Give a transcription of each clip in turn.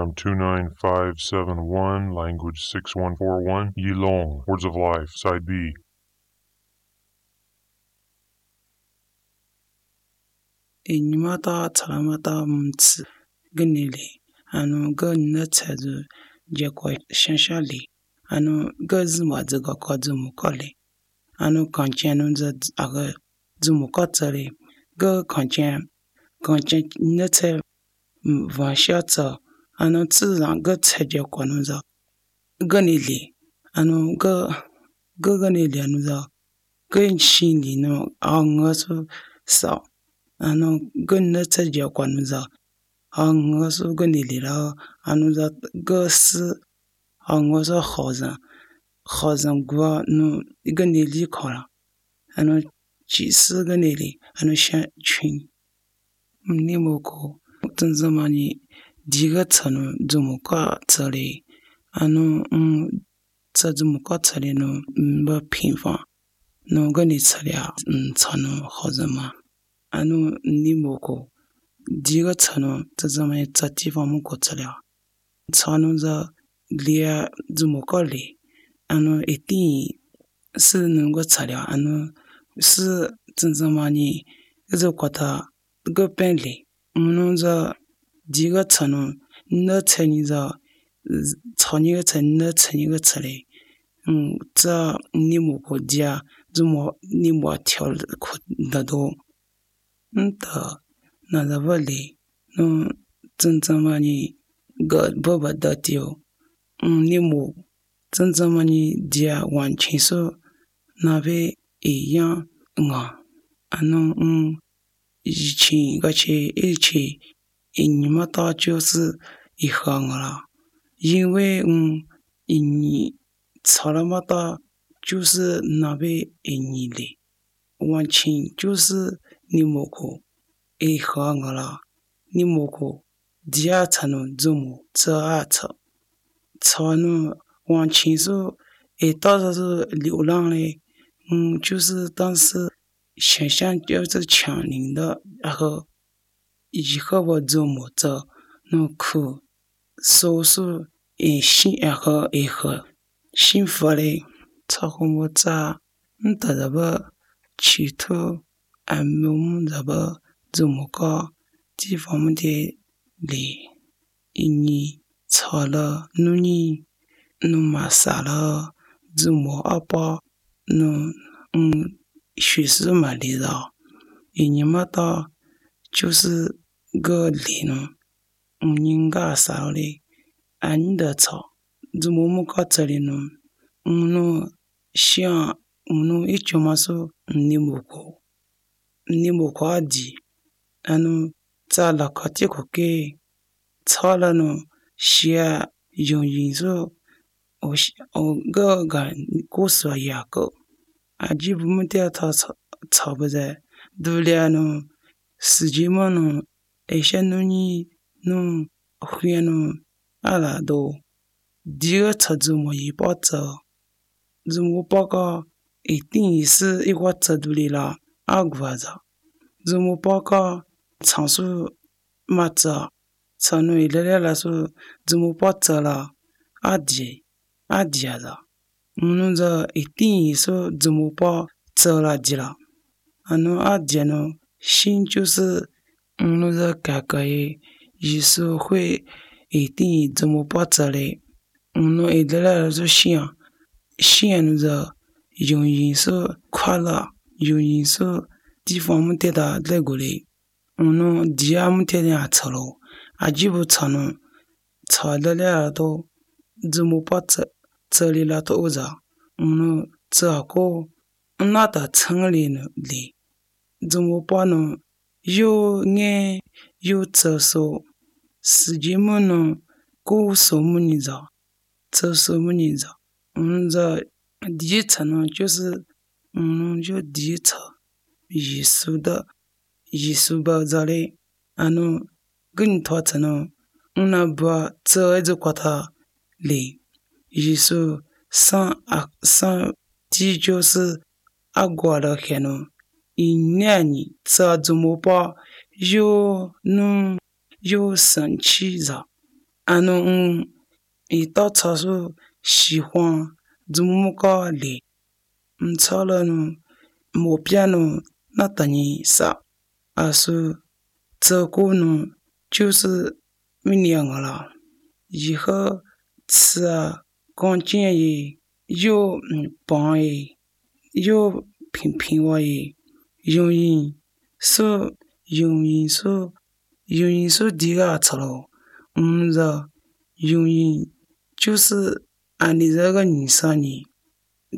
from 29571, language 6141, Yilong, Words of Life, Side B. Enyimata talamata mtsi genele anu ge netsedu jekwa shanshali anu ge zuma zega kwa zumukole anu kanchenu za aga zumukotsale ge kanchen netse vanshatsa anu tsizan ge tseje kwa nuza genele anu ge genele anu za ge shindi no angasu sa anu gönne tseje kwanuza angasu gönelira anuza gös angasu khazan gwa nu göneli khara anu chisi göneli anu shan chun nimoko tunzamani diga tsanu zumuka tsale anu tsazumuka tsale no mba pinfa no gönni tsale tsanu khazama anu nimoko diga tsanu tazamani tsatifa muko tsale tsanu za lia zumokole anu eti si nungo tsale anu si tazamani zakwata gopenle anu za diga tsanu na tsani za tsani ga tsani na tsani ga tsale za nimoko dia zumo nimo tial dado nta nazavale no tsanzamani god baba datio nimo tsanzamani dia wanchinso nave eyan nga anu ichi gache ichi enyimata就是一行了因为你salamata 就是那位你的完全就是nimoko e khangala nimoko dia tsanu zumu tsa tsa tsanu wanqin su e ta su liu lang le 就是当时想象就是强灵的然后以后我zumu tsa no ku so su e shin然后e和幸福嘞操控在ta da ba chi to amum da ba zumuka ji fam de le ini tsala nuni nu masala zumu apa nu 许是买的了，你们到就是个里呢，应该少的，俺的草，怎么么搞这里呢？像一种嘛说你木过阿弟，在那个地方给草了呢，些用因素，我个故事也个。aji bumu te ta tsaba za dulia no sijima no esha no ni no huya no ala do diga tsazumo yi pa tsa zumo pa ka etin isi ikwa tsa dulila agwa za zumo pa ka tsansu ma tsa tsanu ilele la su zumo pa tsa la adia za za etin so zumu pa tsala jira anu adjano shin 就是za kakaye yisu hui etin zumu pa tsale edela so shin za yung yin so kwala yung yin so di fam te da legole dia mu te ya tsalo ajibu tsano tsalele to zumu pa tsali la to za tsa ko na ta changli ne li zumu pa no yo nge yo tsa so siji mo no ko so mu ni za tsa so mu ni za za di tsa no 就是就di tsa yisu ba za le anu gun to tsa no una ba tsa e kwa ta le yisu 上地就是阿过了海呢，一年里这怎么办？有生气着，伊到超市喜欢怎么个来，超了毛边那等于啥，是这个就是明年了，以后吃干净的，又棒的，又平滑的，容易说第个吃了，容易就是按你这个人生呢，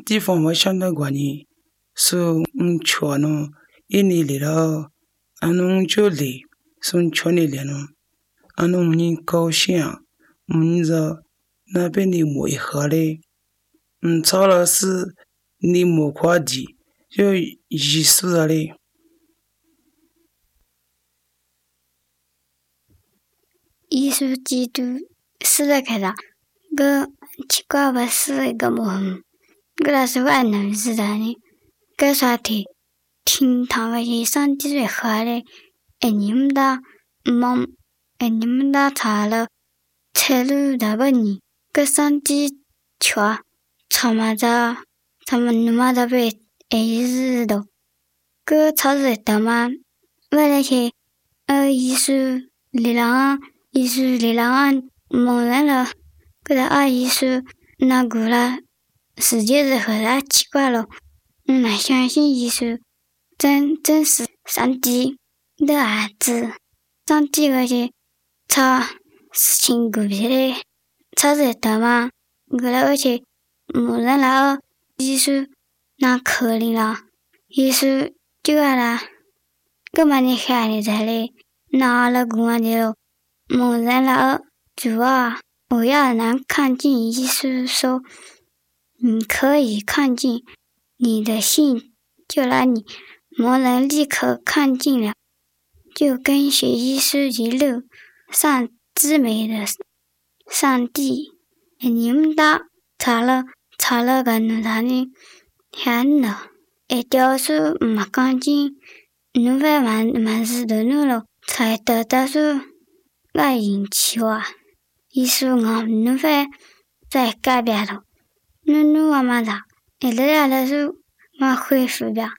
地方我想到过呢，说吃一年来了，就来，说吃你来了，人高兴，这那边的没喝嘞，超了是你没快递，就意思了嘞。耶稣基督死了开了，个奇怪不是一个梦，个那是万能知道的，个啥的，听他们去上帝的话嘞，你们的梦，你们的查了，财路大本你，个上帝瞧，他们你们的被日的，个超市的嘛，为了去耶稣里郎。耶稣里郎蒙人了，给他耶稣那个了，世界是和他奇怪了。相信耶稣真是上帝的儿子，上帝那些他事情狗屁的，他是的嘛，给他而且蒙人了，耶稣那可怜了，耶稣就完了，根本你看你在里拿了公安的了。蒙人了，主啊，我要能看见耶稣说，你可以看见你的信，就让你蒙人立刻看见了，就跟随耶稣一路上至美的上帝。你们的查了个奴才呢，看了，雕塑没干净，奴才满是的奴了，才得到说。我引起我，耶稣我奴才在改变了，奴我嘛的，来的时候我恢复了，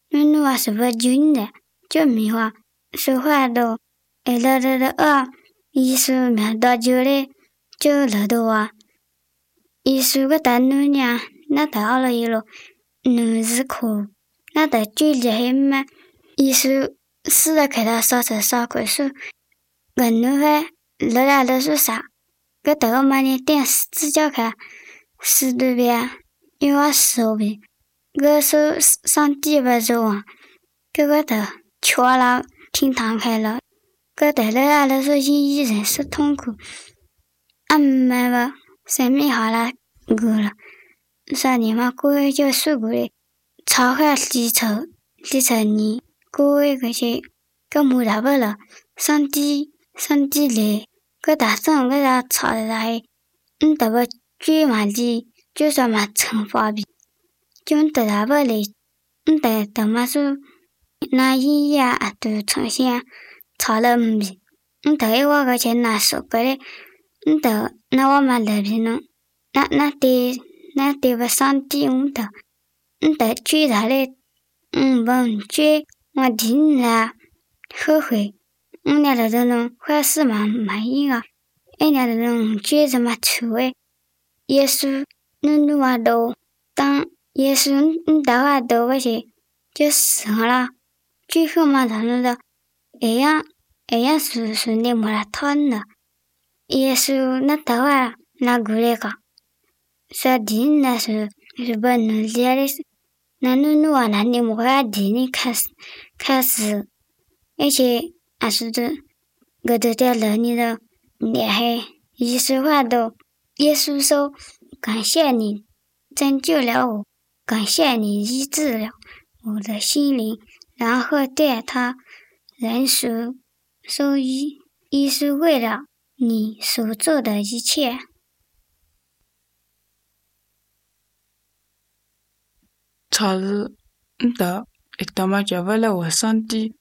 奴我是不准的，就没话说话的，来的耶稣面到就嘞，就来的话，耶稣个大奴呢，那到了一路，奴是苦，那到最厉害嘛，耶稣死了给他烧快速。个奴才来的是啥？个头个嘛呢？点指甲开，死对边，因为手边，个手上地不走啊，个头敲了，挺躺开了，个头来的是因一人是痛苦，没个生命好了，够了，啥你嘛过去就受过的，超开地球你过去个些个没大不了，上帝来，个大圣个他吵的来，得不最嘛的，就说嘛惩罚比，就得大不来，得嘛说，那一夜都呈现吵了比，得一个钱拿手个嘞，得那我嘛来比呢，那得不上帝得最大嘞，不最我听了后悔。那的人坏事嘛没有啊，那的人觉得嘛错诶，耶稣努话多，当耶稣的话多个些，就死了，最后嘛他们的，样是你没了谈的，耶稣那的话那过来个，说定那是不能理的，那努话那你没个定你开始，而且。是的，我都在了你的厉害，耶稣话都，耶稣说感谢你拯救了我，感谢你医治了我的心灵，然后对他人说耶稣为了你所做的一切。超市的，他妈就为了我上帝。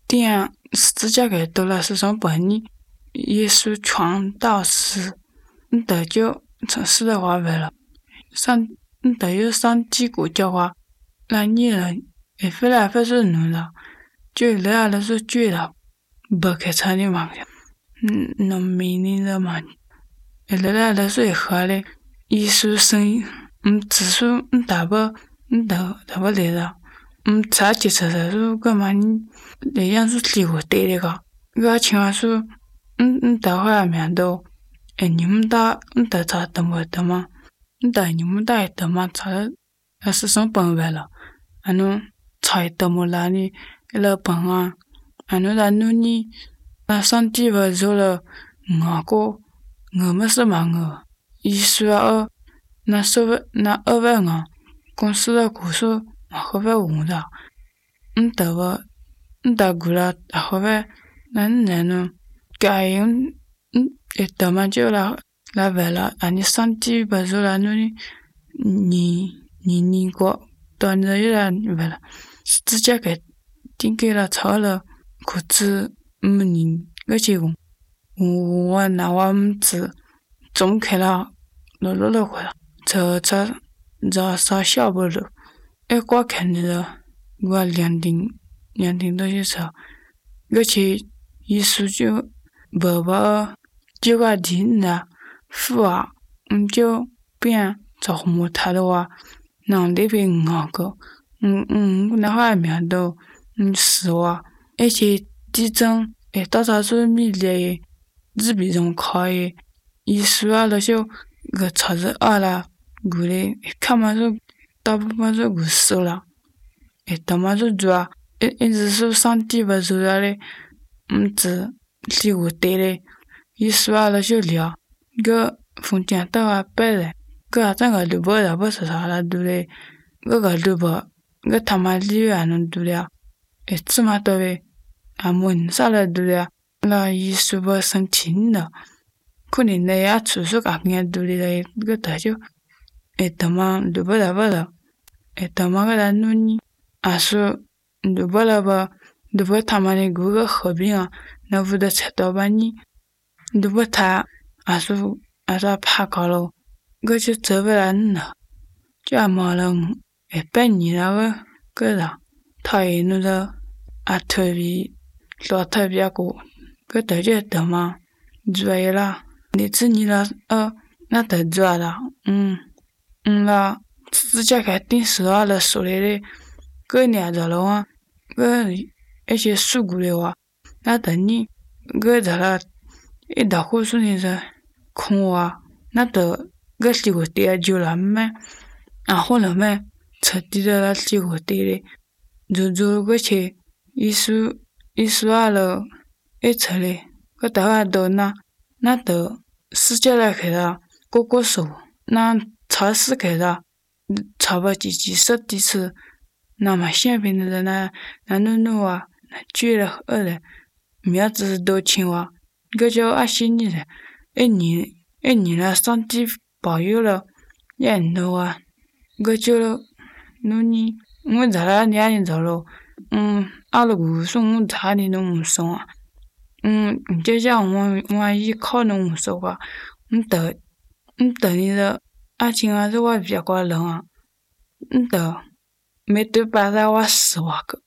点指甲盖都了是上半年，耶稣传道时，得就城市的话为了得有上帝国教化，那你人也非来非是奴了，就来了是罪了，不开车的嘛，能明理的嘛，来了是合的，耶稣生，只是打不来了，查起车的是干嘛你那样是结果对的个，个情况是，打回来面都，你们打查怎么的嘛？打你们打的嘛查的，是上本来了，查的么啦你，了本啊，那你，上帝不做了，我们是嘛我，意思啊，那二万啊，公司的股数，后边红的，打过了，后边那呢，该用，得嘛就来为了，你上帝不做了，你过，到那有了为了，直接给定给了超了，裤子你而且我拿我子总开了，落回了，这啥小不了，我看着我两顶都是车，而且一说就爸就个听了，父啊，就变着木他的话，那那边个，那话面都，是哇，而且地震，到啥时候米的，日比中考的，一说啊，那就个车子啊了，过来看嘛就大部分是过死了，他妈就抓，一直是上帝不做的，只离我对的。一说啊，那就聊个风景到啊白的，个整个都不是啥了，对不对？个都不，个他妈里面能对了，这么多的，问啥了对了？那一说不生气了，可能那也出手感觉对的，个他就，他妈都不了，他妈个来弄你，说都不了吧，都不他妈的个合并啊，那不得才到把你。都不他，说怕搞了，我就走不来了，就忙了，半年了个人，他也那个特别老特别过，个大家得嘛，做一了，你自己了那得做了，那自家开电视啊了说来的，个年着了啊，个而且事故的话，那等你个着了。到后说你是空啊，那得个几个点就了没，后来没彻底的了几个点的，就个去一说啊了，出来个大家都那得世界来开了，个手那超市开了，超不几十几次，那么现平的人那弄啊，那绝了的，面子都青蛙。个叫心里的，你了，上帝保佑了，也弄啊，个叫了，你我咋了？你还走了？阿拉姑说我咋的弄送啊？就叫我依靠弄说话，等你的阿亲啊，是我别个人啊，没对把在我死我个。